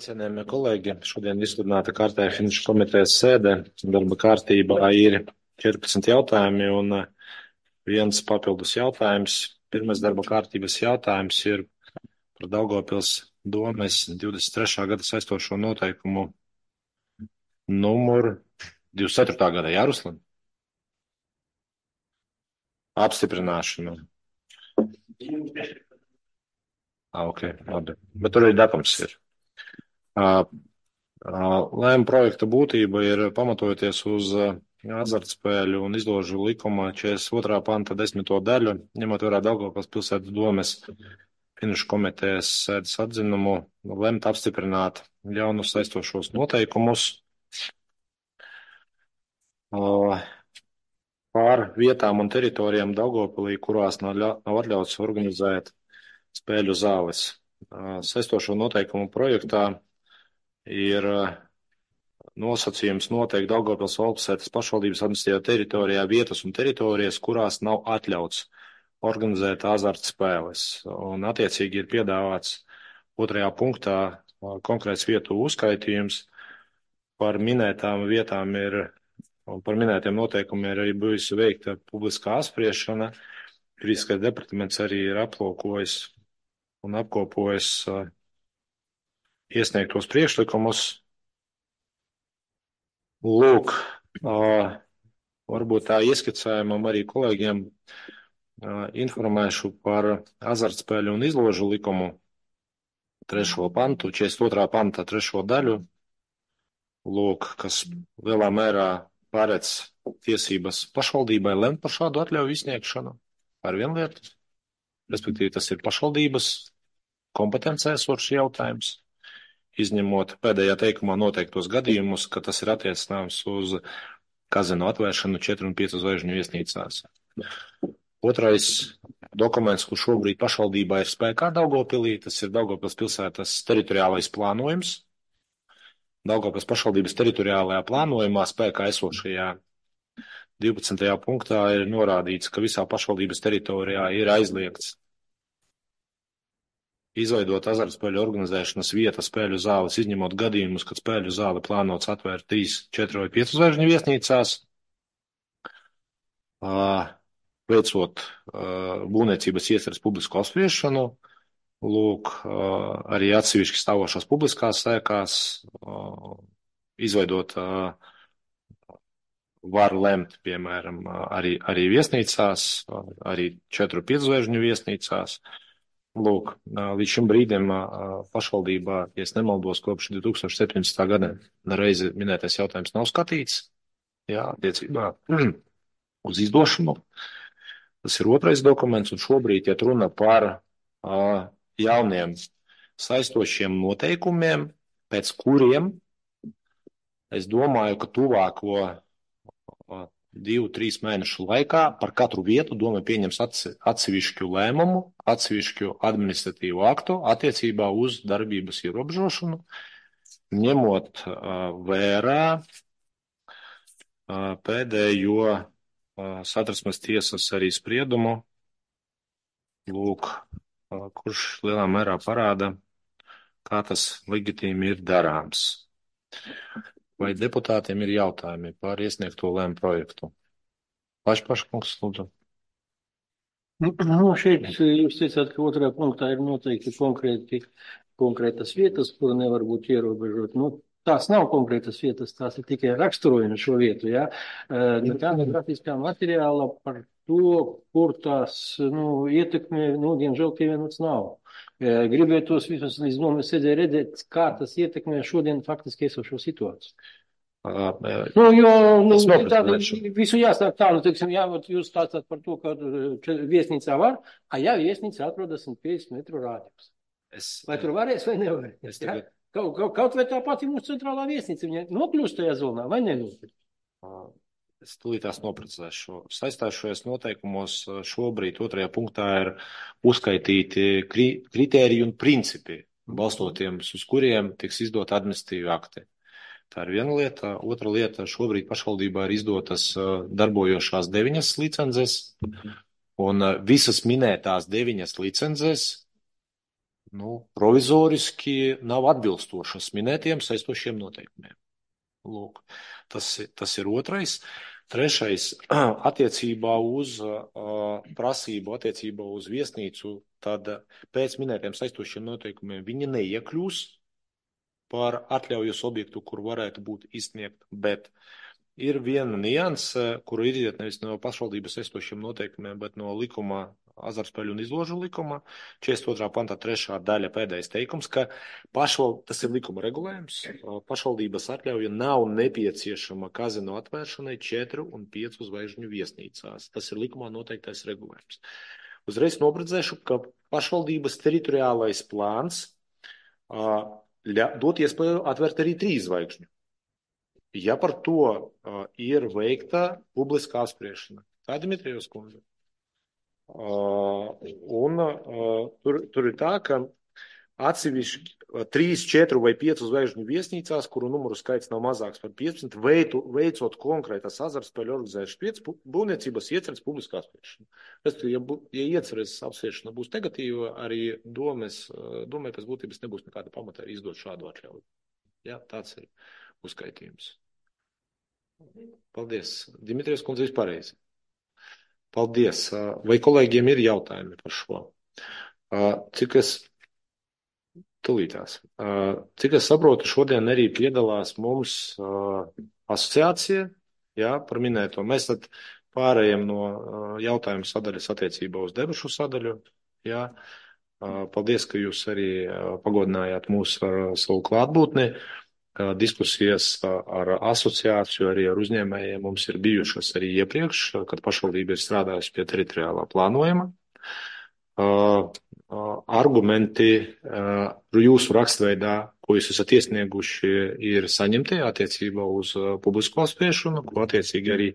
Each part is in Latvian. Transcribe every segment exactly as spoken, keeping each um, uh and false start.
Cienējamie kolēģi, šodien izsludināta kārtēja finanšu komitejas sēde. Darba kārtībā ir četrpadsmit jautājumi un viens papildus jautājums. Pirmais darba kārtības jautājums ir par Daugavpils domes divdesmit trešā gada saistošo noteikumu numuru divdesmit ceturtā gada, jā, Ruslan? Apstiprināšanu. Ah, ok, labi. Bet tur arī datums ir. Uh, Lēmuma projekta būtība ir pamatojoties uz azartspēļu un izložu likuma četrdesmit otrā panta desmito daļu, ņemot vērā Daugavpils pilsētas domes finanšu komitejas sēdes atzinumu, lemt apstiprināt jaunus saistošos noteikumus pār vietām un teritorijām Daugavpilī, kurās nav, nav atļauts organizēt spēļu zāles. Saistošo noteikumu projektā ir nosacījums noteikti Daugavpils valstsētas pašvaldības administratīvajā teritorijā vietas un teritorijas, kurās nav atļauts organizēt azartspēles. Un attiecīgi ir piedāvāts otrajā punktā konkrēts vietu uzskaitījums. Par minētām vietām ir, un par minētiem noteikumiem ir arī bijusi veikta publiskā apspriešana. Juridiskais departaments arī ir aplūkojis un apkopojis iesniegtos priekšlikumus. Lūk, varbūt tā ieskicējumam arī kolēģiem informēšu par azartspēļu un izložu likumu trešo pantu, četrdesmit otrā panta trešo daļu. Lūk, kas lielā mērā paredz tiesības pašvaldībai lemt par šādu atļauju izsniegšanu par vienu lietu. Respektīvi, tas ir pašvaldības kompetencē esošs jautājums, izņemot pēdējā teikumā noteiktos gadījumus, ka tas ir attiecināms uz kazino atvēršanu četru un piecu zvaigžņu viesnīcās. Otrais dokuments, kurš šobrīd pašvaldībā ir spēkā Daugavpilī, tas ir Daugavpils pilsētas teritoriālais plānojums. Daugavpils pašvaldības teritoriālajā plānojumā spēkā esošajā divpadsmitajā punktā ir norādīts, ka visā pašvaldības teritorijā ir aizliegts izveidot azartspēļu organizēšanas vietas spēļu zāles, izņemot gadījumus, kad spēļu zāle plānots atvērt trīs, četru vai piecu zvaigžņu viesnīcās, veicot būvniecības ieceres publisku apspriešanu, lūk, arī atsevišķi stāvošās publiskās ēkās, izveidot var lemt, piemēram, arī, arī viesnīcās, arī četru, piecu zvaigžņu viesnīcās. Lūk, līdz šim brīdim pašvaldībā, ja es nemaldos, kopš divi tūkstoši septiņpadsmitā gada reizi minētais jautājums nav skatīts, jā, attiecībā uz izdošanu. Tas ir otrais dokuments, un šobrīd iet runa par uh, jauniem saistošiem noteikumiem, pēc kuriem es domāju, ka tuvāko uh, divu, trīs mēnešu laikā par katru vietu doma pieņems atsevišķu lēmumu, atsevišķu administratīvu aktu attiecībā uz darbības ierobežošanu, ņemot uh, vērā uh, pēdējo uh, Satversmes tiesas arī spriedumu, lūk, uh, kurš lielā mērā parāda, kā tas legitīmi ir darāms. Vai deputātiem ir jautājumi par iesniegto lēmumu projektu? Pašpaškungs, lūdzu. Nu, no šeit jūs teicāt, ka otrajā punktā ir noteikti konkrēti, konkrētas vietas, kur nevar būt ierobežot. Nu, tās nav konkrētas vietas, tās ir tikai raksturojumi šo vietu, jā. Nekā no grafiskā materiāla par to, kur tās, nu, ietekmē, nu, diemžēl pievienots nav. Gribētos vismaz līdz nomas sēdē redzēt, kā tas ietekmē šodien faktiski esošo situāciju. Uh, nu, jo, nu, tā, noprotams. visu jāsāk tā, nu, teiksim, jā, jūs stāstāt par to, ka viesnīcā var, a jā, viesnīcā atrodas simt piecdesmit metru rādījums. Es, vai tur varēs vai nevarēs? Es tagad... kaut, kaut, kaut vai tā pati mūsu centrālā viesnīca, viņa nokļūst tajā zonā vai nenokļūst? Uh. Es tūlītās noprecēšu. Saistāšajos noteikumos šobrīd otrajā punktā ir uzskaitīti kri, kritēriji un principi, balstoties uz kuriem tiks izdot administratīvi akti. Tā ir viena lieta. Otra lieta, šobrīd pašvaldībā ir izdotas darbojošās deviņas licences, un visas minētās deviņas licences nu, provizoriski nav atbilstošas minētiem saistošiem noteikumiem. Lūk, tas, tas ir otrais. Trešais, attiecībā uz uh, prasību, attiecībā uz viesnīcu, tad pēc minētiem saistošiem noteikumiem viņi neiekļūs par atļaujas objektu, kur varētu būt izsniegt, bet ir viena nianse, kuru ir iziet nevis no pašvaldības saistošiem noteikumiem, bet no likuma, azartspēļu un izložu likuma, četrdesmit otrā pantā trešā daļa pēdējais teikums, ka pašval, tas ir likuma regulējums, pašvaldības atļauja nav nepieciešama kazino atvēršanai četru un piecu zvaigžņu viesnīcās. Tas ir likumā noteiktais regulējums. Uzreiz nobredzēšu, ka pašvaldības teritoriālais plāns uh, ļa, dot iespēju atvērt arī trīs zvaigžņu. Ja par to uh, ir veikta publiskā apspriešana. Tā ir Dmitrijevs kundze. Uh, un uh, tur, tur ir tā, ka atsevišķi uh, trīs, četru vai piecu zvaigžņu viesnīcās, kuru numuru skaits nav mazāks par piecpadsmit, veitu, veicot konkrētas azartspēļu organizēšanas būvniecības ieceres publiskā apspriešana. Ja, ja ieceres apspriešana būs negatīva, arī domes, domē pēc būtības nebūs nekāda pamata arī izdot šādu atļauju. Ja, tāds ir uzskaitījums. Paldies. Dimitrijs kundze vispārējais. Paldies. Vai kolēģiem ir jautājumi par šo? Cik es, tulītās, cik es saprotu, šodien arī piedalās mums asociācija, jā, par minēto. Mēs tad pārējiem no jautājumu sadaļas attiecībā uz debašu sadaļu, jā. Paldies, ka jūs arī pagodinājāt mūs ar savu klātbūtni. Diskusijas ar asociāciju, arī ar uzņēmējiem mums ir bijušas arī iepriekš, kad pašvaldība ir strādājusi pie teritoriālā plānojuma. Argumenti jūsu rakstveidā, ko jūs esat iesnieguši, ir saņemti attiecībā uz publisko apspriešanu, ko attiecīgi arī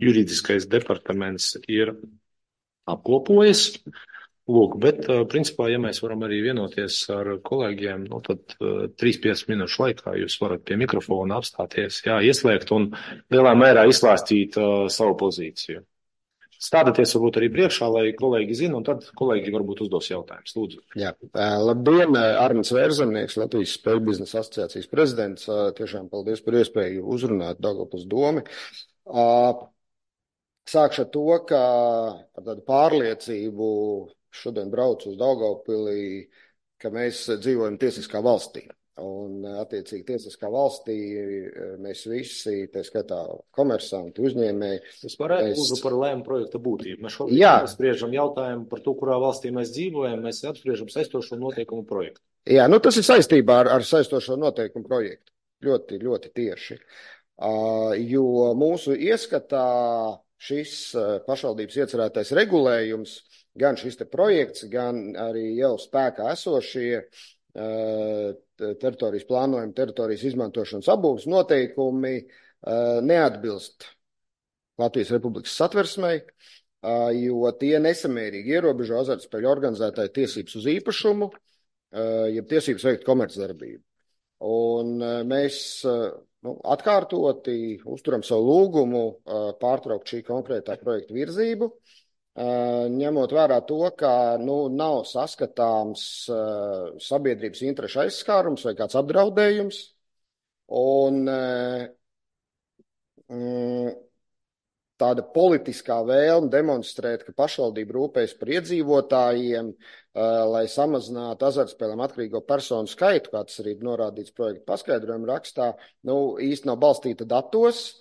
juridiskais departaments ir apkopojis. Lūk, bet, principā, ja mēs varam arī vienoties ar kolēģiem, nu, tad trīs piecas minūšu laikā jūs varat pie mikrofona apstāties, jā, ieslēgt un lielā mērā izklāstīt uh, savu pozīciju. Stādieties varbūt arī priekšā, lai kolēģi zina, un tad kolēģi varbūt uzdos jautājumus. Lūdzu. Jā, labdien, Arnis Vērzemnieks, Latvijas Spēļu biznesa asociācijas prezidents. Tiešām paldies par iespēju uzrunāt Daugavpils domi. Sākšu ar to, ka ar tādu pārliecību šodien braucu uz Daugavpili, ka mēs dzīvojam tiesiskā valstī. Un, attiecīgi, tiesiskā valstī mēs visi, tā skatā komersanti, uzņēmēji. Es varētu mēs... lūdzu par lēmu projekta būtību. Mēs šobrīd spriežam jautājumu par to, kurā valstī mēs dzīvojam, mēs apspriežam saistošo noteikumu projektu. Jā, nu tas ir saistībā ar, ar saistošo noteikumu projektu. Ļoti, ļoti tieši. Uh, jo mūsu ieskatā šis pašvaldības iecerētais regulējums, gan šis te projekts, gan arī jau spēkā esošie teritorijas plānojuma, teritorijas izmantošanas apbūves noteikumi neatbilst Latvijas Republikas satversmei, jo tie nesamērīgi ierobežo azartspēļu organizētāju tiesības uz īpašumu, jeb tiesības veikt komercdarbību. Un mēs nu, atkārtoti uzturam savu lūgumu pārtraukt šī konkrētā projekta virzību, ņemot vērā to, ka nu, nav saskatāms sabiedrības interešu aizskārums vai kāds apdraudējums. Un mm, tāda politiskā vēlme demonstrēt, ka pašvaldība rūpējas par iedzīvotājiem, lai samazinātu azartspēlēm atkarīgo personu skaitu, kā tas arī ir norādīts projekta paskaidrojuma rakstā, nu, īsti nav balstīta datos.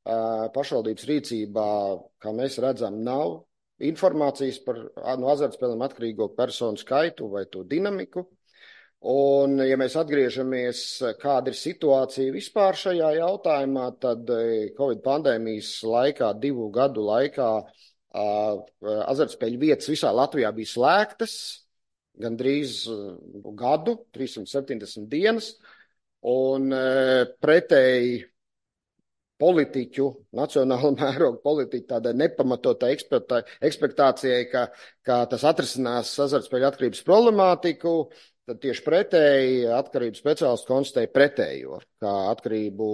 Pašvaldības rīcībā, kā mēs redzam, nav informācijas par no azartspēlēm atkarīgo personu skaitu vai to dinamiku. Un, ja mēs atgriežamies, kāda ir situācija vispār šajā jautājumā, tad Covid pandēmijas laikā, divu gadu laikā, azartspēļu vietas visā Latvijā bija slēgtas, gandrīz gadu, trīssimt septiņdesmit dienas, un pretēji politiķu, nacionāla mēroga politiķu tādai nepamatotai ekspektācijai, ka, ka tas atrisinās azartspēļu atkarības problemātiku, tad tieši pretēji atkarības speciālisti konstatēja pretējo, ka atkarību,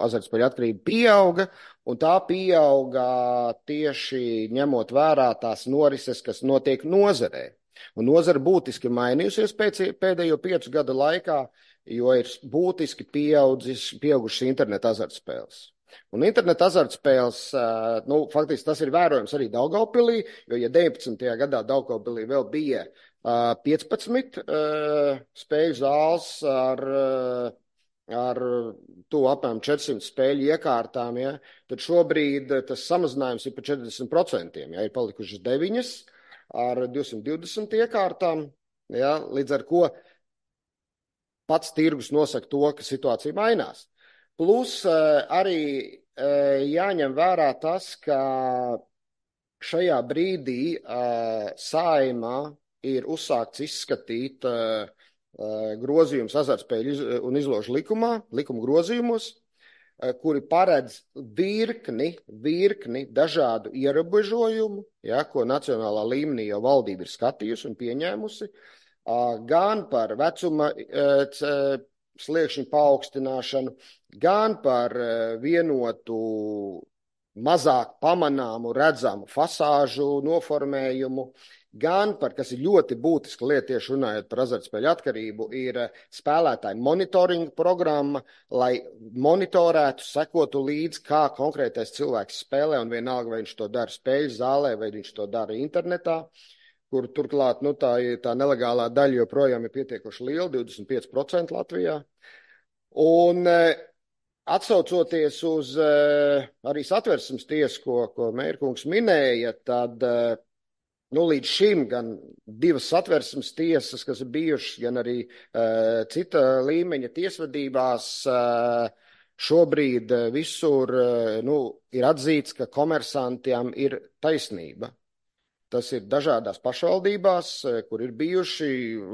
azartspēļu atkarība pieauga, un tā pieauga tieši ņemot vērā tās norises, kas notiek nozarē. Un nozara būtiski mainījusies pēc pēdējo piecu gadu laikā, jo ir būtiski pieaudzis, pieaugušas interneta azartspēles. Un interneta azartspēles, nu, faktiski tas ir vērojams arī Daugavpilī, jo, ja deviņpadsmitajā gadā Daugavpilī vēl bija piecpadsmit spēļu zāles ar, ar to apmēram četrsimt spēļu iekārtām, ja, tad šobrīd tas samazinājums ir par četrdesmit procentiem, ja, ir palikušas deviņas ar divsimt divdesmit iekārtām, ja, līdz ar ko pats tirgus nosaka to, ka situācija mainās. Plus arī jāņem vērā tas, ka šajā brīdī Saeimā ir uzsākts izskatīt grozījums azartspēļu un izložu likumā, likuma grozījumos, kuri paredz virkni, virkni dažādu ierobežojumu, ja, ko nacionālā līmenī jau valdība ir skatījusi un pieņēmusi, gan par vecuma sliekšņu paaugstināšanu, gan par vienotu, mazāk pamanāmu, redzamu fasāžu noformējumu, gan par, kas ir ļoti būtiska lieta, tieši runājot par azartspēļu atkarību, ir spēlētāju monitoringa programma, lai monitorētu, sekotu līdz, kā konkrētais cilvēks spēlē, un vienalga, vai viņš to dara spēļu zālē, vai viņš to dara internetā, kur turklāt nu, tā, tā nelegālā daļa joprojām ir pietiekoši liela, divdesmit pieci procenti Latvijā. Un atsaucoties uz arī Satversmes tiesu, ko, ko Mērkungs minēja, tad nu, līdz šim gan divas Satversmes tiesas, kas ir bijušas, gan arī cita līmeņa tiesvedībās, šobrīd visur nu, ir atzīts, ka komersantiem ir taisnība. Tas ir dažādās pašvaldībās, kur ir bijuši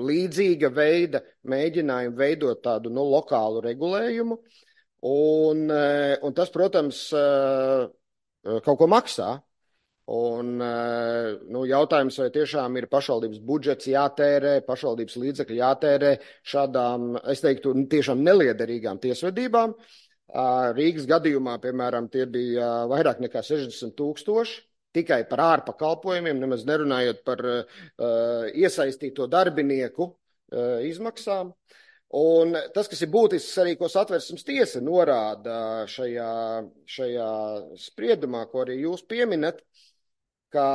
līdzīga veida mēģinājumi veidot tādu nu, lokālu regulējumu. Un, un tas, protams, kaut ko maksā. Un, nu, jautājums, vai tiešām ir pašvaldības budžets jātērē, pašvaldības līdzekļi jātērē šādām, es teiktu, tiešām neliederīgām tiesvedībām. Rīgas gadījumā, piemēram, tie bija vairāk nekā sešdesmit tūkstoši. Tikai par ārpakalpojumiem, nemaz nerunājot par uh, iesaistīto darbinieku uh, izmaksām. Un tas, kas ir būtisks arī, ko Satversmes tiesa norāda šajā, šajā spriedumā, ko arī jūs pieminat, ka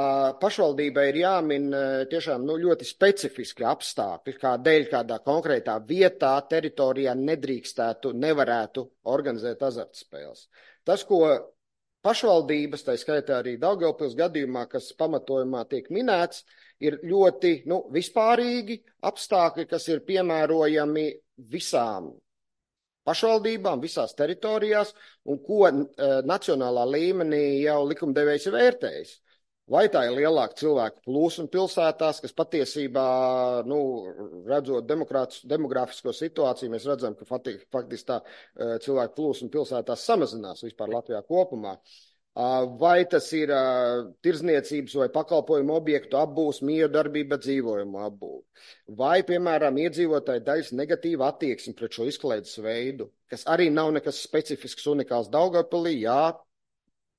pašvaldībai ir jāmin tiešām nu, ļoti specifiski apstākļi, kādēļ kādā konkrētā vietā, teritorijā nedrīkstētu, nevarētu organizēt azartspēles. Tas, ko pašvaldības, tā skaitā arī Daugavpils gadījumā, kas pamatojumā tiek minēts, ir ļoti nu, vispārīgi apstākļi, kas ir piemērojami visām pašvaldībām, visās teritorijās, un ko e, nacionālā līmenī jau likumdevējs ir vērtējis. Vai tā ir lielāka cilvēku plūsma pilsētās, kas patiesībā, nu, redzot demografisko situāciju, mēs redzam, ka faktiski tā cilvēku plūsma pilsētās samazinās vispār Latvijā kopumā. Vai tas ir tirdzniecības vai pakalpojumu objektu apbūves, miedarbība, dzīvojumu apbūve. Vai, piemēram, iedzīvotāju daļas negatīva attieksme pret šo izklaides veidu, kas arī nav nekas specifisks unikāls Daugavpilī, jā,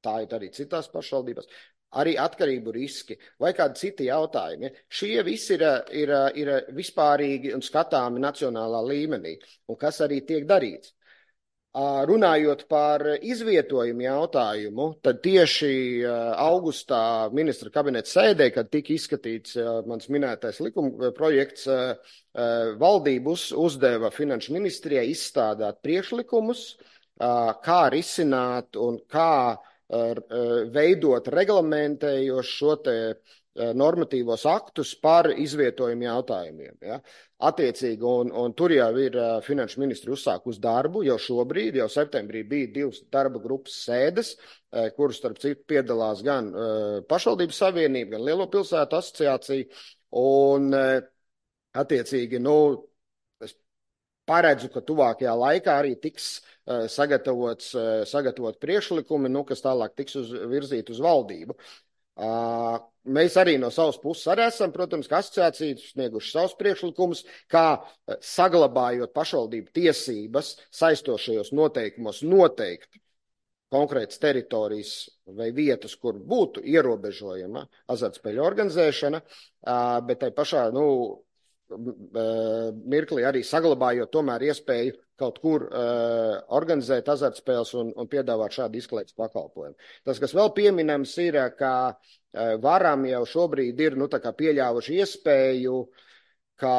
tā ir arī citās pašvaldībās. Arī atkarību riski vai kādi citi jautājumi. Šie visi ir, ir, ir vispārīgi un skatāmi nacionālā līmenī, un kas arī tiek darīts. Runājot par izvietojumu jautājumu, tad tieši augustā ministra kabineta sēdē, kad tika izskatīts mans minētais likuma projekts, valdības uzdeva Finanšu ministrijai izstrādāt priekšlikumus, kā risināt un kā veidot reglamentējoši šo te normatīvos aktus par izvietojumu jautājumiem. Ja? Attiecīgi, un, un tur jau ir finanšu ministri uzsākus darbu, jau šobrīd, jau septembrī bija divas darba grupas sēdes, kuras starp citu piedalās gan pašvaldības savienība, gan Lielo pilsētu asociācija, un attiecīgi, nu, es paredzu, ka tuvākajā laikā arī tiks sagatavots, sagatavot priekšlikumi, nu, kas tālāk tiks uz, virzīt uz valdību. Mēs arī no savas puses arī esam, protams, ka asociācijas snieguši savus priekšlikumus, kā saglabājot pašvaldību tiesības saistošajos noteikumos noteikt konkrētas teritorijas vai vietas, kur būtu ierobežojama azartspēļu organizēšana, bet tai pašā, nu, mirklī arī saglabājot tomēr iespēju kaut kur uh, organizēt azartspēles un, un piedāvāt šādu izklaides pakalpojumu. Tas, kas vēl pieminams, ir, ka uh, varam jau šobrīd ir nu, tā kā pieļāvuši iespēju, ka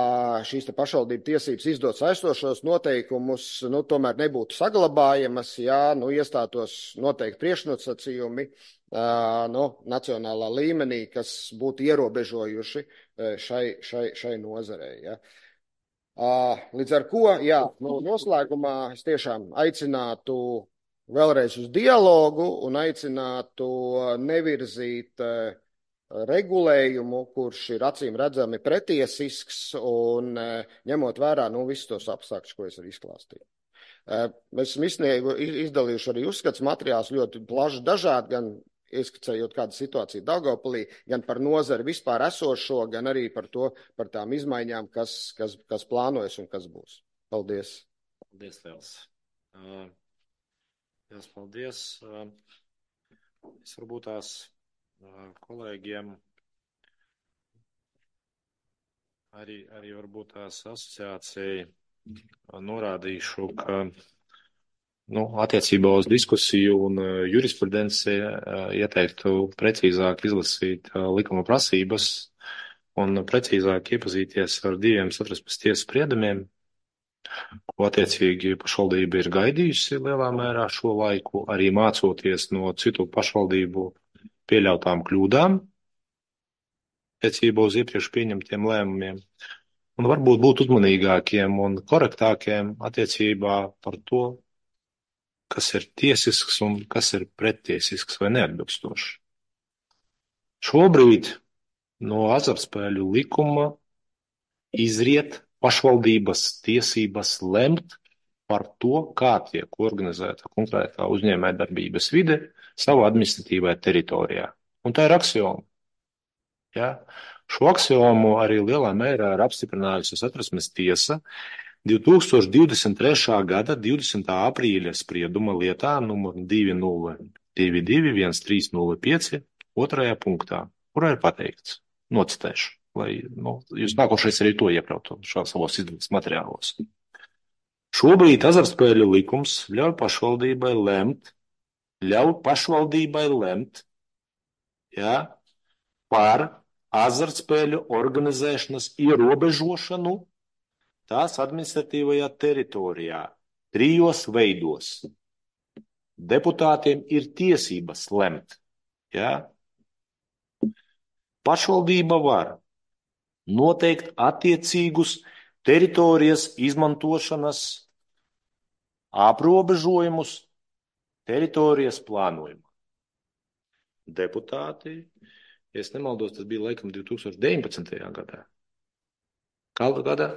šīs te pašvaldību tiesības izdot saistošos noteikumus nu, tomēr nebūtu saglabājamas, ja nu, iestātos noteikti priekšnosacījumi uh, nu, nacionālā līmenī, kas būtu ierobežojuši uh, šai, šai, šai nozarei. Ja. Līdz ar ko, jā, nu, noslēgumā es tiešām aicinātu vēlreiz uz dialogu un aicinātu nevirzīt regulējumu, kurš ir acīm redzami pretiesisks un ņemot vērā nu, visus tos apstākļus, ko es arī izklāstīju. Mēs esam izsniegu, izdalījuši arī uzskats materiāls ļoti plaši dažādi, gan ieskicējot kādu situāciju Daugavpilī, gan par nozari vispār esošo, gan arī par to, par tām izmaiņām, kas, kas, kas plānojas un kas būs. Paldies. Paldies, liels. Uh, liels paldies. Uh, es varbūt tās uh, kolēģiem arī, arī varbūt tās asociācija uh, norādīšu, ka Nu, attiecībā uz diskusiju un uh, jurisprudenci uh, ieteiktu precīzāk izlasīt uh, likuma prasības un precīzāk iepazīties ar diviem Satversmes tiesas spriedumiem, ko attiecīgi pašvaldība ir gaidījusi lielā mērā šo laiku, arī mācoties no citu pašvaldību pieļautām kļūdām attiecībā uz iepriekš pieņemtiem lēmumiem. Un varbūt būt uzmanīgākiem un korektākiem attiecībā par to, kas ir tiesisks un kas ir prettiesisks vai neatbilstošs. Šobrīd no azartspēļu likuma izriet pašvaldības tiesības lemt par to, kā tiek organizēta konkrētā uzņēmējdarbības vide savā administratīvajā teritorijā. Un tā ir aksioma. Ja? Šo aksiomu arī lielā mērā ir apstiprinājusi Satversmes tiesa divi tūkstoši divdesmit trešā gada divdesmitā aprīļa sprieduma lietā numur divi nulle divi divi viens trīs nulle pieci otrajā punktā, kurā ir pateikts, nocitēšu, lai nu, jūs nākošais arī to iekļautu savos izdevības materiālos. Šobrīd azartspēļu likums ļauj pašvaldībai lemt, ļauj pašvaldībai lemt, ja, par azartspēļu organizēšanas ierobežošanu tās administratīvajā teritorijā trijos veidos. Deputātiem ir tiesības lemt. Ja? Pašvaldība var noteikt attiecīgus teritorijas izmantošanas aprobežojumus teritorijas plānojumā. Deputāti, ja es nemaldos, tas bija laikam divi tūkstoši deviņpadsmitajā gadā. Kādā gadā?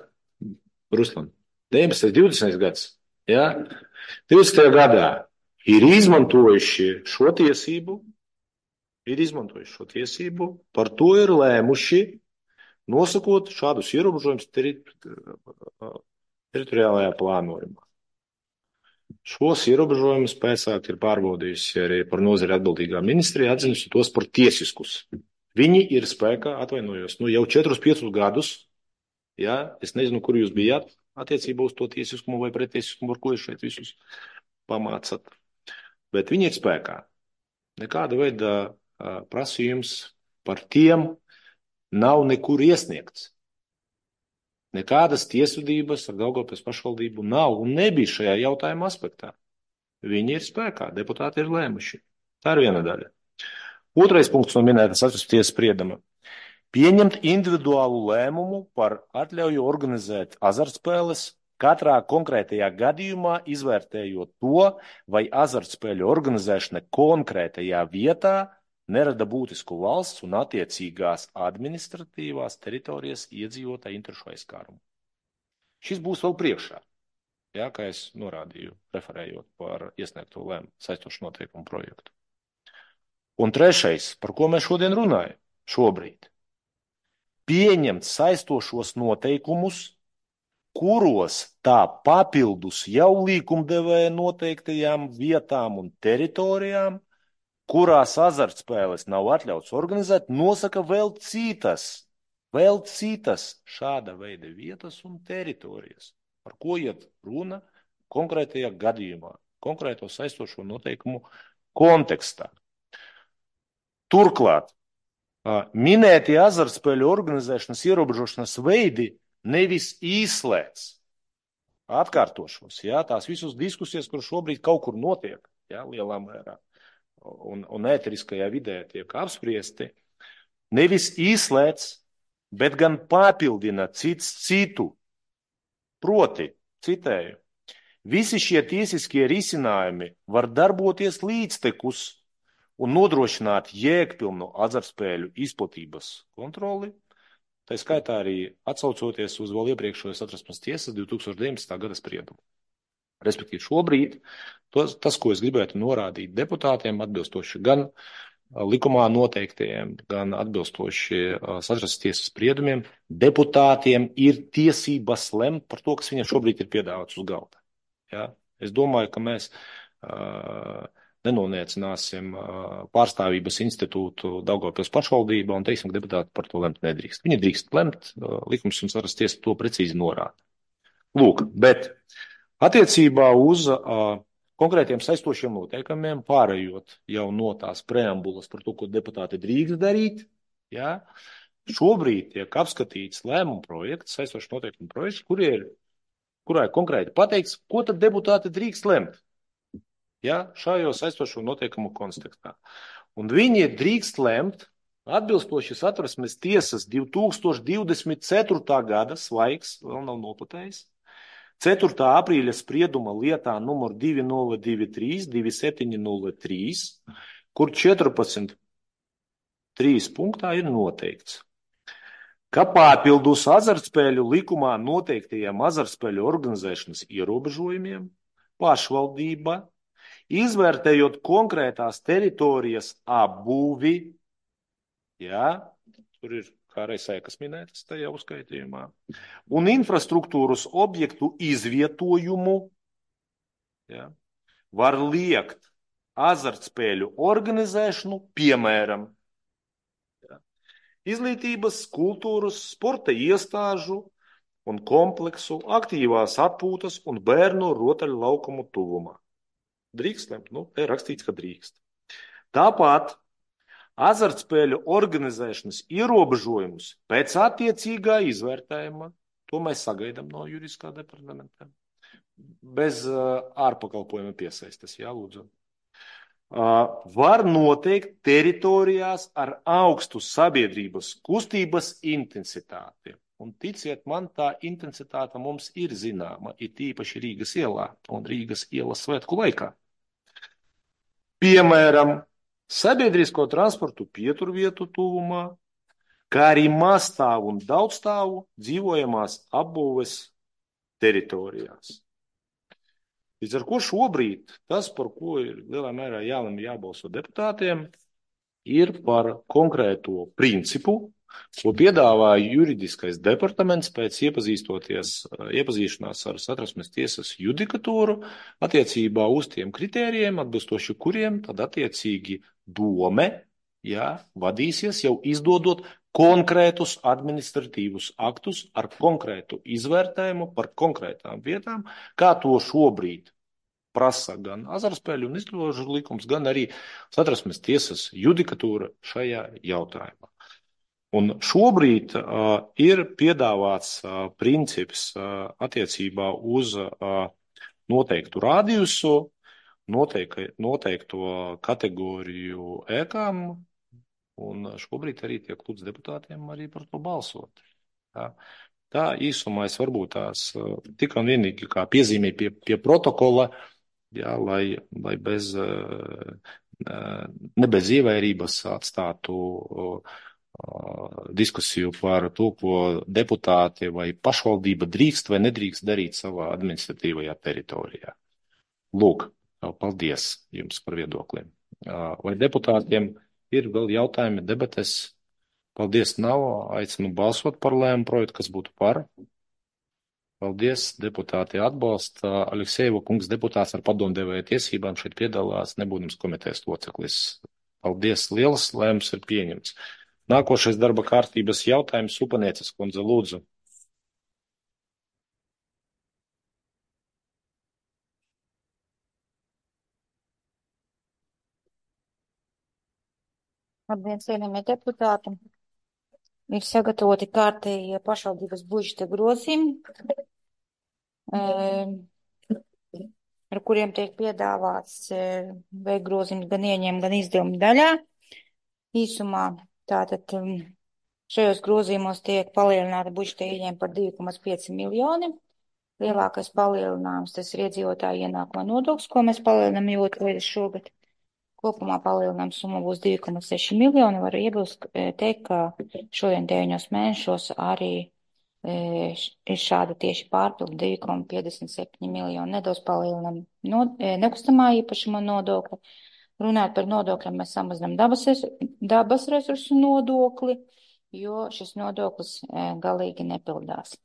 Ruslan. deviņpadsmitais, divdesmitais gads. Ja? divdesmitajā gadā ir izmantojuši šo tiesību, ir izmantojuši šo tiesību, par to ir lēmuši, nosakot šādus ierobežojumus teri teritoriālajā plānojumā. Šos ierobežojumus pēcāk ir pārbaudījusi arī par nozari atbildīgā ministrija, atzinusi tos par tiesiskus. Viņi ir spēkā, atvainojos, nu jau četrus piecus gadus. Ja, es nezinu, kur jūs bijāt attiecībā uz to tiesiskumu vai pretiesiskumu, ar ko jūs šeit visus pamācat. Bet viņi ir spēkā. Nekāda veida prasījums par tiem nav nekur iesniegts. Nekādas tiesvedības ar Daugavpils pašvaldību nav un nebija šajā jautājuma aspektā. Viņi ir spēkā, deputāti ir lēmuši. Tā ir viena daļa. Otrais punkts no minētas Satversmes tiesas sprieduma. Pieņemt individuālu lēmumu par atļauju organizēt azartspēles, katrā konkrētajā gadījumā izvērtējot to, vai azartspēļu organizēšana konkrētajā vietā nerada būtisku valsts un attiecīgās administratīvās teritorijas iedzīvotāju interešu aizskārumu. Šis būs vēl priekšā, ja, kā es norādīju, referējot par iesniegto lēmumu saistošu noteikumu projektu. Un trešais, par ko mēs šodien runājam, šobrīd. Pieņemt saistošos noteikumus kuros tā papildus jau līkumdevēja noteiktajām vietām un teritorijām, kurās azartspēles nav atļauts organizēt, nosaka vēl citas, vēl citas šāda veida vietas un teritorijas, par ko iet runa konkrētajā gadījumā, konkrēto saistošo noteikumu kontekstā. Turklāt, minētie azartspēļu organizēšanas ierobežošanas veidi nevis izslēdz, atkārtošos, jā, tās visas diskusijas, kur šobrīd kaut kur notiek, jā, lielā mērā, un, un ēteriskajā vidē tiek apspriesti, nevis izslēdz, bet gan papildina cits citu. Proti, citēju, visi šie tiesiskie risinājumi var darboties līdztekus un nodrošināt jēgpilnu azartspēļu izplatības kontroli, tā skaitā arī atsaucoties uz vēl iepriekšējo Satversmes tiesas divi tūkstoši deviņpadsmitā gada spriedumu. Respektīvi šobrīd tos, tas, ko es gribētu norādīt deputātiem, atbilstoši gan likumā noteiktajiem, gan atbilstoši Satversmes tiesas spriedumiem, deputātiem ir tiesības lemt par to, kas viņiem šobrīd ir piedāvāts uz galda. Ja? Es domāju, ka mēs uh, nenoniecināsim pārstāvības institūtu Daugavpils pašvaldībā un teiksim, ka deputāti par to lemt nedrīkst. Viņi drīkst lemt, likums un Satversmes tiesa to precīzi norāda. Lūk, bet attiecībā uz uh, konkrētiem saistošiem noteikumiem, pārējot jau no tās preambulas par to, ko deputāti drīkst darīt, ja, šobrīd tiek apskatīts lēmumu projekts, saistošs noteikumu projekts, kur ir, kurā ir konkrēti pateikts, ko tad deputāti drīkst lemt. Ja, šajos saistošo noteikumu kontekstā. Un viņi drīkst lemt atbilstoši Satversmes tiesas divi tūkstoši divdesmit ceturtā gada svaigs, vēl nav noplatējis, ceturtā aprīļa sprieduma lietā numur divi nulle divi trīs divi septiņi nulle trīs, kur četrpadsmit trīs punktā ir noteikts, ka papildus azartspēļu likumā noteiktajiem azartspēļu organizēšanas ierobežojumiem pašvaldība, izvērtējot konkrētās teritorijas apbūvi, jā, tur ir kā reizēkas minētas tajā uzskaitījumā, un infrastruktūras objektu izvietojumu, jā, var liekt azartspēļu organizēšanu, piemēram, jā, izglītības, kultūras, sporta iestāžu un kompleksu, aktīvās atpūtas un bērnu rotaļu laukumu tuvumā. Drīkst lemt? Nu, te ir rakstīts, ka drīkst. Tāpat azartspēļu organizēšanas ierobežojumus pēc attiecīgā izvērtējuma, to mēs sagaidām no juridiskā departamenta, bez uh, ārpakalpojuma piesaistes, jā, lūdzu. Uh, var noteikt teritorijās ar augstu sabiedrības kustības intensitāti. Un ticiet man, tā intensitāte mums ir zināma, ir tīpaši Rīgas ielā un Rīgas ielas svētku laikā. Piemēram, sabiedrisko transportu pieturvietu tuvumā, kā arī mazstāvu un daudzstāvu dzīvojamās apbūves teritorijās. Līdz ar ko šobrīd tas, par ko ir lielā mērā jālemj jābalso deputātiem, ir par konkrēto principu, ko piedāvāja juridiskais departaments pēc iepazīstoties, iepazīšanās ar Satversmes tiesas judikatūru attiecībā uz tiem kritērijiem, atbilstoši kuriem tad attiecīgi dome, jā, vadīsies jau izdodot konkrētus administratīvus aktus ar konkrētu izvērtējumu par konkrētām vietām, kā to šobrīd prasa gan azartspēļu un izglītošanas likums, gan arī Satversmes tiesas judikatūra šajā jautājumā. Un šobrīd uh, ir piedāvāts uh, princips uh, attiecībā uz uh, noteiktu radiusu, noteikti, noteikto kategoriju ēkām, un šobrīd arī tiek lūdz deputātiem arī par to balsot. Tā, tā īsumā es varbūt tās uh, tikai un vienīgi kā piezīmē pie, pie protokola, jā, lai, lai bez, uh, ne bez ievairības atstātu uh, diskusiju par to, ko deputāti vai pašvaldība drīkst vai nedrīkst darīt savā administratīvajā teritorijā. Lūk, paldies jums par viedokliem. Vai deputātiem ir vēl jautājumi, debates? Paldies, nav. Aicinu balsot par lēmumu projektu, kas būtu par. Paldies, deputāti atbalsta. Aleksejeva kungs deputāts ar padomdevēja tiesībām šeit piedalās, nebūdams komitejas loceklis. Paldies liels, lēmums ir pieņemts. Nākošais darba kārtības jautājums Upanieces kundze, lūdzu. Labdien, cienījamie deputāti! Ir sagatavoti kārtējie pašvaldības budžeta grozījumi, ar kuriem tiek piedāvāts veikt grozījumus gan ieņēmumu, gan izdevumu daļā. Īsumā tātad šajos grozījumos tiek palielināta budžeta ieņēmuma par divi komats pieci miljoni. Lielākais palielinājums tas ir iedzīvotāju ienākuma nodoklis, ko mēs palielinām jau otru reizi šogad. Kopumā palielinājums summa būs divi komats seši miljoni. Varu iebilst teikt, ka šodien deviņos mēnešos arī ir šāda tieši pārpildu divi komats piecdesmit septiņi miljoni. Nedaudz palielinām no, nekustamā īpašuma nodokli. Runājot par nodokļiem, mēs samazinām dabas, dabas resursu nodokli, jo šis nodoklis galīgi nepildās.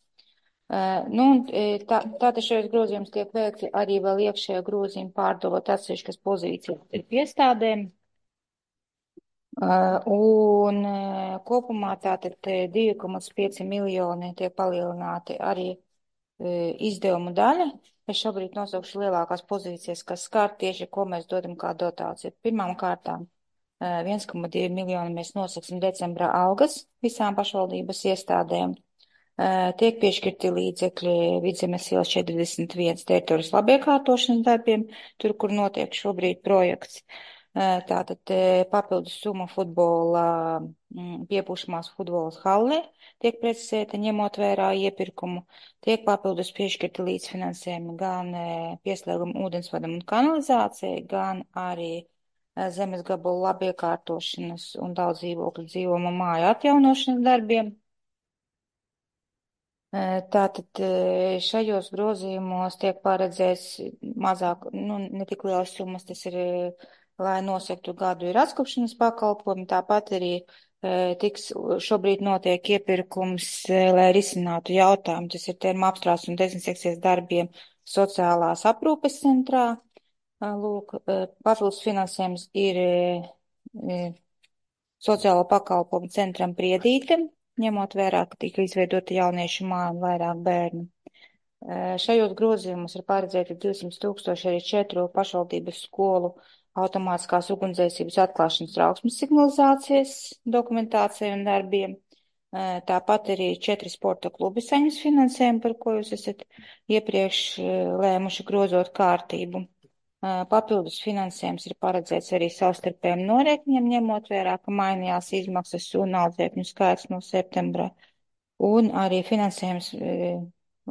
Uh, nu, tā, tātad šajos grozījums tiek veikti arī vēl iekšējo grozījumu pārdalot atsevišķas pozīcijas iestādēm. Uh, un uh, kopumā tātad divi komats pieci miljoni tiek palielināti arī uh, izdevumu daļa. Es šobrīd nosaukšu lielākās pozīcijas, kas skar tieši, ko mēs dodam kā dotāciju. Pirmām kārtām uh, viens komats divi miljoni mēs nosaksim decembrā algas visām pašvaldības iestādēm. Tiek piešķirti līdzekļi Vidzemes ielas četrdesmit viens teritorijas labiekārtošanas darbiem, tur, kur notiek šobrīd projekts. Tātad papildus summa futbola, piepūšamās futbolas hallē tiek precizēta, ņemot vērā iepirkumu. Tiek papildus piešķirti līdzfinansējumi gan pieslēgumu ūdensvadam un kanalizācijai, gan arī zemes gabalu labiekārtošanas un daudz dzīvokļu dzīvojamo māju atjaunošanas darbiem. Tātad šajos grozījumos tiek paredzēts mazāk, nu, ne tik lielas summas, tas ir, lai nosektu gadu ir atkopšanas pakalpojumi, tāpat arī tiks šobrīd notiek iepirkums, lai risinātu jautājumu, tas ir terma apstrādes un dezinsekcijas darbiem sociālās aprūpes centrā. Lūk, papildus finansējums ir sociālo pakalpojumu centram Priedīte, ņemot vērā, ka tika izveidota jauniešu māja un vairāk bērnu. Šajos grozījumos ir paredzēti divsimt tūkstoši arī četru pašvaldības skolu automātiskās ugunsdzēsības atklāšanas trauksmes signalizācijas dokumentācijai un darbiem. Tāpat arī četri sporta klubi saņems finansējumu, par ko jūs esat iepriekš lēmuši grozot kārtību. Papildus finansējums ir paredzēts arī savstarpējiem norēķiniem, ņemot vērā, ka mainījās izmaksas un audzēkņu skaits no septembra. Un arī finansējums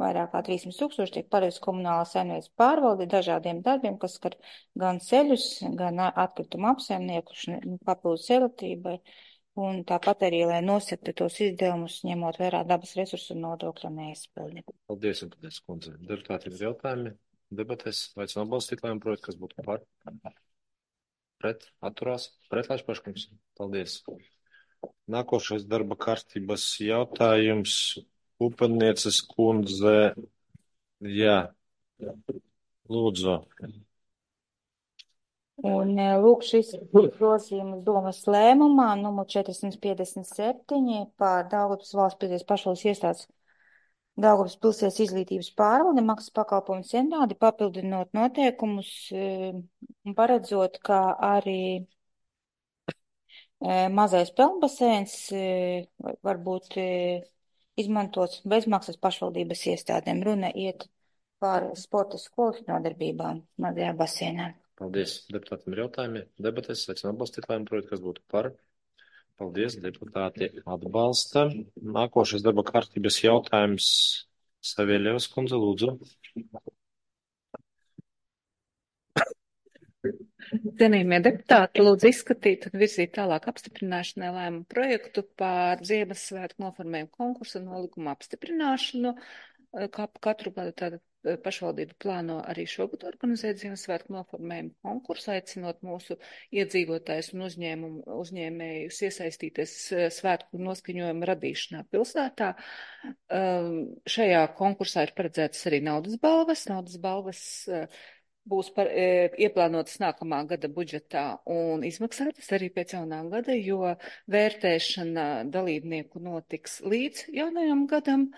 vairāk kā trīssimt tūkstoši tiek paredzēts komunālā saimniecības pārvalde dažādiem darbiem, kas skar gan ceļus, gan atkritumu apsaimniekošanu, papildus elektrībai. Un tāpat arī, lai nosektu tos izdevumus, ņemot vērā dabas resursu un nodokļu neizpildi. Paldies, un paldies, kundze. Deputāti, ir jautājumi? Debatēs, aicinu atbalstīt lēmumu projektu, kas būtu par, pret, atturās, pretlaiž paškums. Paldies. Nākošais darba kārtības jautājums Upanieces kundze. Jā, lūdzu. Un lūk, šis grozījums domas lēmumā numur četrsimt piecdesmit septiņi par Daugavpils valsts pieteicības pašvaldības iestādes Daugavpils pilsētas izglītības pārvalde maksas pakalpojumu centrādi, papildinot noteikumus un paredzot, ka arī mazais peldbaseins var būt izmantots bezmaksas pašvaldības iestādēm. Runa iet par sporta skolas nodarbībām mazajā basēnā. Paldies. Deputātiem ir jautājumi. Debatēs, aicinu atbalstīt lēmumu projektu, kas būtu par. Paldies, deputāti atbalsta. Nākošais darba kārtības jautājums Savieļevas kundze, lūdzu. Cienījamie deputāti, lūdzu izskatīt un virzīt tālāk apstiprināšanai lēmumu projektu par Ziemassvētku noformējumu konkursu un nolikumu apstiprināšanu. Kā katru gadu tātad pašvaldība plāno arī šogad organizēt Ziemassvētku noformējumu konkursu, aicinot mūsu iedzīvotājus un uzņēmumu, uzņēmējus iesaistīties svētku noskaņojuma radīšanā pilsētā. Šajā konkursā ir paredzētas arī naudas balvas. Naudas balvas būs par, e, ieplānotas nākamā gada budžetā un izmaksātas arī pēc jaunā gada, jo vērtēšana dalībnieku notiks līdz jaunajam gadam.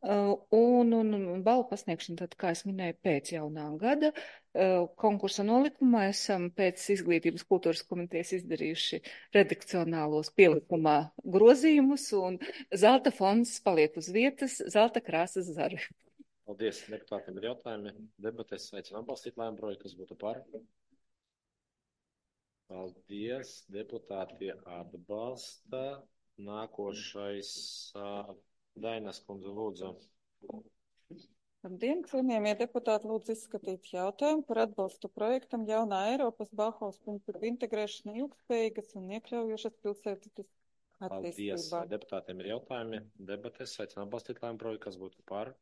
Uh, un, un, un balvu pasniegšana, tad, kā es minēju, pēc jaunā gada. Uh, konkursa nolikumā esam pēc izglītības kultūras komitejas izdarījuši redakcionālos pielikumā grozījumus, un zelta fonds paliek uz vietas, zelta krāsas zari. Paldies, deputātiem ir jautājumi. Debatēs aicinām atbalstīt lēmumu projektu, kas būtu par. Paldies, deputāti atbalsta. Nākošais uh, Dainas kundze, lūdzu. Labdien, cienījamie deputāti, lūdzu izskatīt jautājumu par atbalstu projektam Jaunā Eiropas Bauhaus principu integrēšana ilgspējīgas un iekļaujošas pilsētas attīstībā. Paldies, deputātiem ir jautājumi. Debatēs aicinām atbalstīt lēmumu projektu, kas būtu par.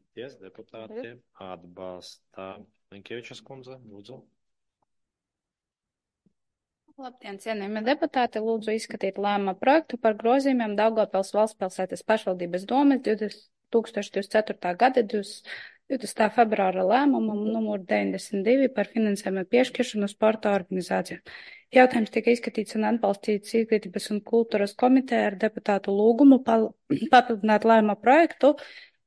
Paldies, deputātiem atbalsta. Linkevičas kundze, lūdzu. Labdien, cienījamie deputāti, lūdzu izskatīt lēmuma projektu par grozījumiem Daugavpils valstspilsētas pašvaldības domes divtūkstoš divdesmit ceturtā gada divdesmitā februāra lēmumam numur deviņdesmit divi par finansējumu piešķiršanu sporta organizācijām. Jautājums tika izskatīts un atbalstīts Izglītības un kultūras komiteja ar deputātu lūgumu papildināt lēmuma projektu,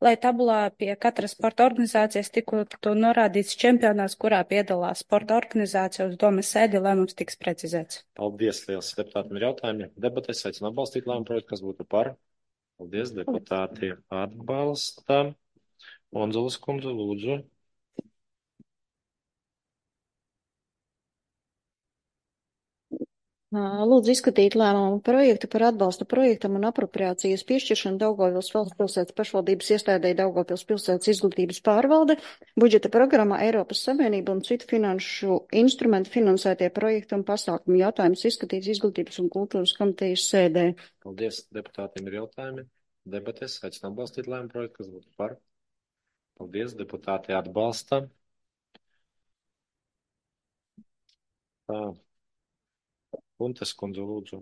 lai tabulā pie katras sporta organizācijas tiktu norādīts čempionāts, kurā piedalās sporta organizācija uz domes sēdi, lēmums tiks precizēts. Paldies, liels deputātiem ir jautājumi. Debatēs aicinām atbalstīt lēmumu projektu, kas būtu par. Paldies, deputāti atbalsta. Onzulas kundze, lūdzu. Lūdzu izskatīt lēmumu projektu par atbalsta projektam un apropriācijas piešķiršanu Daugavpils valstspilsētas pašvaldības iestādei Daugavpils pilsētas izglītības pārvalde, budžeta programmā Eiropas Savienība un citu finanšu instrumentu finansētie projektu un pasākumu. Jautājums izskatīts Izglītības un kultūras komitejas sēdē. Paldies, deputātiem ir jautājumi. Debatēs aicinām atbalstīt lēmumu projektu, kas būtu par. Paldies, deputāti atbalsta. Tā. Puntes kundze, lūdzu.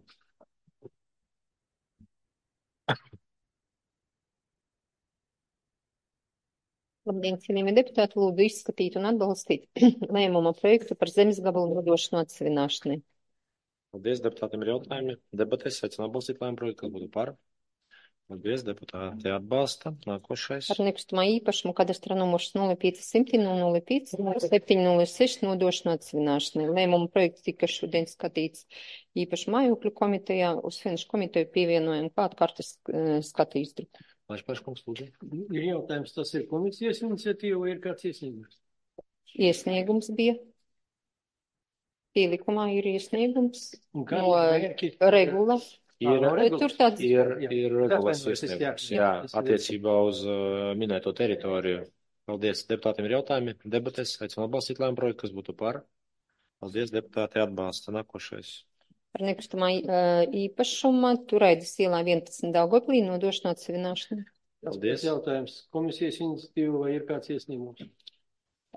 Labdien, cienījamie deputāti, lūdzu izskatīt un atbalstīt lēmuma projektu par zemes gabalu nodošanu atsevināšanai. Paldies, deputātiem ir jautājumi. Debatēs aicinām atbalstīt lēmumu projektu, kas būtu par. Paldies, deputāti atbalsta. Nākošais. Par nekustamā īpašumu kadastra numurs nulle pieci simti nulle pieci septiņi nulle seši nodošanu atsevināšanai. Lēmuma projekts tika šodien skatīts īpašu mājokļu komitejā, uz finanšu komiteju pievienojam klāt kartes uh, skatu izdruku. Laišpaškungs, lūdzu. Ir jautājums, tas ir komisijas iniciatīva vai ir kāds iesniegums? Iesniegums bija. Pielikumā ir iesniegums Un kā no mērķi? regula. Ir, Tur tāds Ir, Jā. ir regulas Atvainojos, es iesniegums, jā, jā, jā, es attiecībā uz uh, minēto teritoriju. Paldies, deputātiem ir jautājumi. Debatēs aicinām atbalstīt lēmumu projektu, kas būtu par. Paldies, deputāti atbalsta. Nākošais. Par nekustamā uh, īpašuma Turaidas ielā vienpadsmit Daugavpilī nodošanu atsevināšanai. Paldies. Jautājums, komisijas iniciatīva vai ir kāds iesniegums?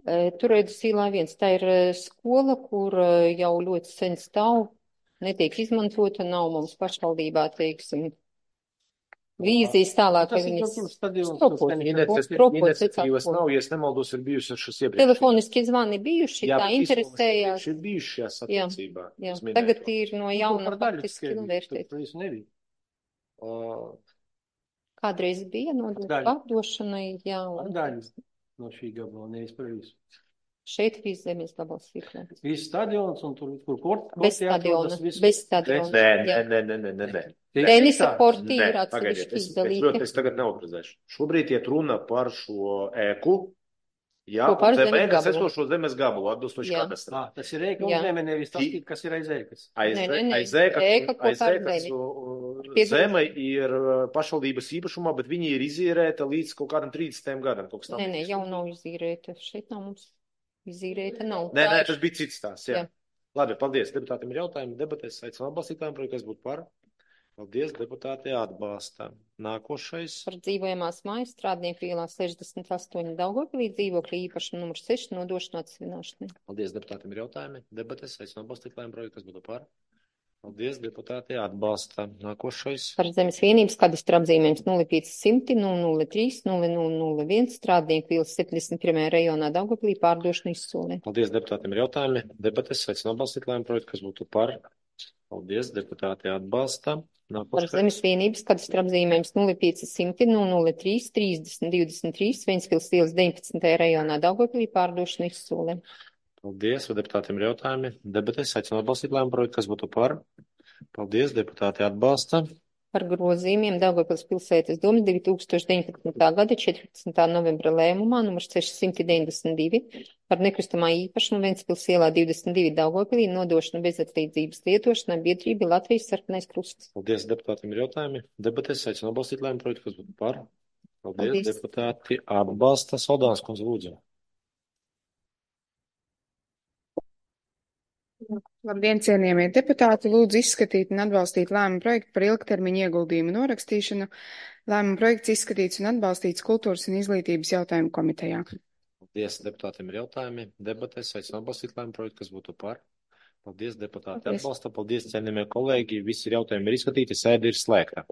Uh, Turaidas ielā viens, tā ir uh, skola, kur uh, jau ļoti sen stāv, netiek izmantota, nav mums pašvaldībā, teiksim, vīzijas tālāk. Tas lai ir viņas kaut kur stadions. stropot. Stadions. Stropot, Iniciatīvas secāt, nav, ja es nemaldos, ir bijušas šis iepriekš. Telefoniski zvani bijuši, Jā, tā bet interesējās. Ir bijuši šajās Jā, attiecībā. jā. uz minēto. Tagad ir no jauna Par daļu faktiski tikai novērtēt. tur visu nebija. Uh, Kādreiz bija nodot Daļu. pārdošanai, jā, Par un daļu no šī gabala, nevis par visu. šeit viss zemes gabals ir. Viss stadions un tur, kur kort, Bez korti atrodas, stadiona, viss- bez nē, stadiona. nē, jā. nē, nē, nē, nē, nē. Tenisa Nē, korti Nē, ir pagaidiet, atsevišķi es, es, izdalīti. ļoti, es tagad neautorizēšu. Šobrīd iet runa par šo ēku, jā, Ko par un zem zemes ēkas gabalu. esošo zemes gabalu, atbilstoši Jā. kadastram. Ā, tas ir ēka Jā. uzņēme, nevis tas, Ti- kas ir aiz ēkas. Aiz, Nē, nē, nē. aiz ēkas, Ēka kopā aiz ar ēkas zemi. uh, Piedod. zeme ir uh, pašvaldības īpašumā, bet viņi ir izīrēta līdz kaut kādam trīsdesmitajam gadam. Kaut kas tam Nē, nē, līdzīgs. jau nav izīrēta. Šeit nav mums izīrēta, nav. Nē, Tā nē, ir- tas bija cits tās, jā. Jā. Labi, paldies. Deputātiem ir jautājumi. Debatēs aicinām atbalstīt lēmumu projektu, kas būtu par. Paldies, deputāti atbalsta. Nākošais. Par dzīvojamās mājas strādnieku ielā sešdesmit astoņi Daugavpilī dzīvokļa īpašuma numur seši nodošanu atsevināšanai. Paldies, deputātiem ir jautājumi. Debates, aicinu atbalstīt lēmumu projektu, kas būtu par. Paldies, deputāti atbalsta. Nākošais. Par zemes vienības kadastra apzīmējums nulle pieci simti nulle nulle trīs nulle nulle nulle viens strādnieku ielas septiņdesmit pirmajā rajonā Daugavpilī pārdošanu izsolē. Paldies, deputātiem ir jautājumi. Debates, aicinu atbalstīt lēmumu projektu, kas būtu par. Paldies, deputāti atbalsta. Par zemes vienības kadastra apzīmējums nulle pieci simti nulle nulle trīs trīsdesmit divdesmit trīs Ventspils ielas deviņpadsmitajā rajonā Daugavpilī pārdošanu izsolē. Paldies, vai deputātiem ir jautājumi? Debates, aicinu atbalstīt lēmumu projektu, kas būtu par. Paldies, deputāti atbalsta. Par grozījumiem Daugavpils pilsētas domas divi tūkstoši deviņpadsmitā gada četrpadsmitā novembra lēmumā numur seši deviņdesmit divi par nekustamā īpašumu Ventspils ielā divdesmit divi Daugavpilī nodošanu bezatlīdzības lietošanai biedrība Latvijas Sarkanais Krusts. Paldies, deputātiem ir jautājumi. Debates, aicinu atbalstīt lēmumu projektu, kas būtu par. Paldies, Paldies. deputāti atbalsta. Saldāns kundze, lūdzu. Labdien, cienījamie deputāti! Lūdzu izskatīt un atbalstīt lēmumu projektu par ilgtermiņa ieguldījumu norakstīšanu. Lēmumu projekts izskatīts un atbalstīts Kultūras un izglītības jautājumu komitejā. Paldies, deputātiem ir jautājumi. Debates, aicinu atbalstīt lēmumu projektu, kas būtu par. Paldies, deputāti Paldies. atbalsta. Paldies, cienījamie kolēģi. Visi jautājumi ir izskatīti, sēde ir slēgta.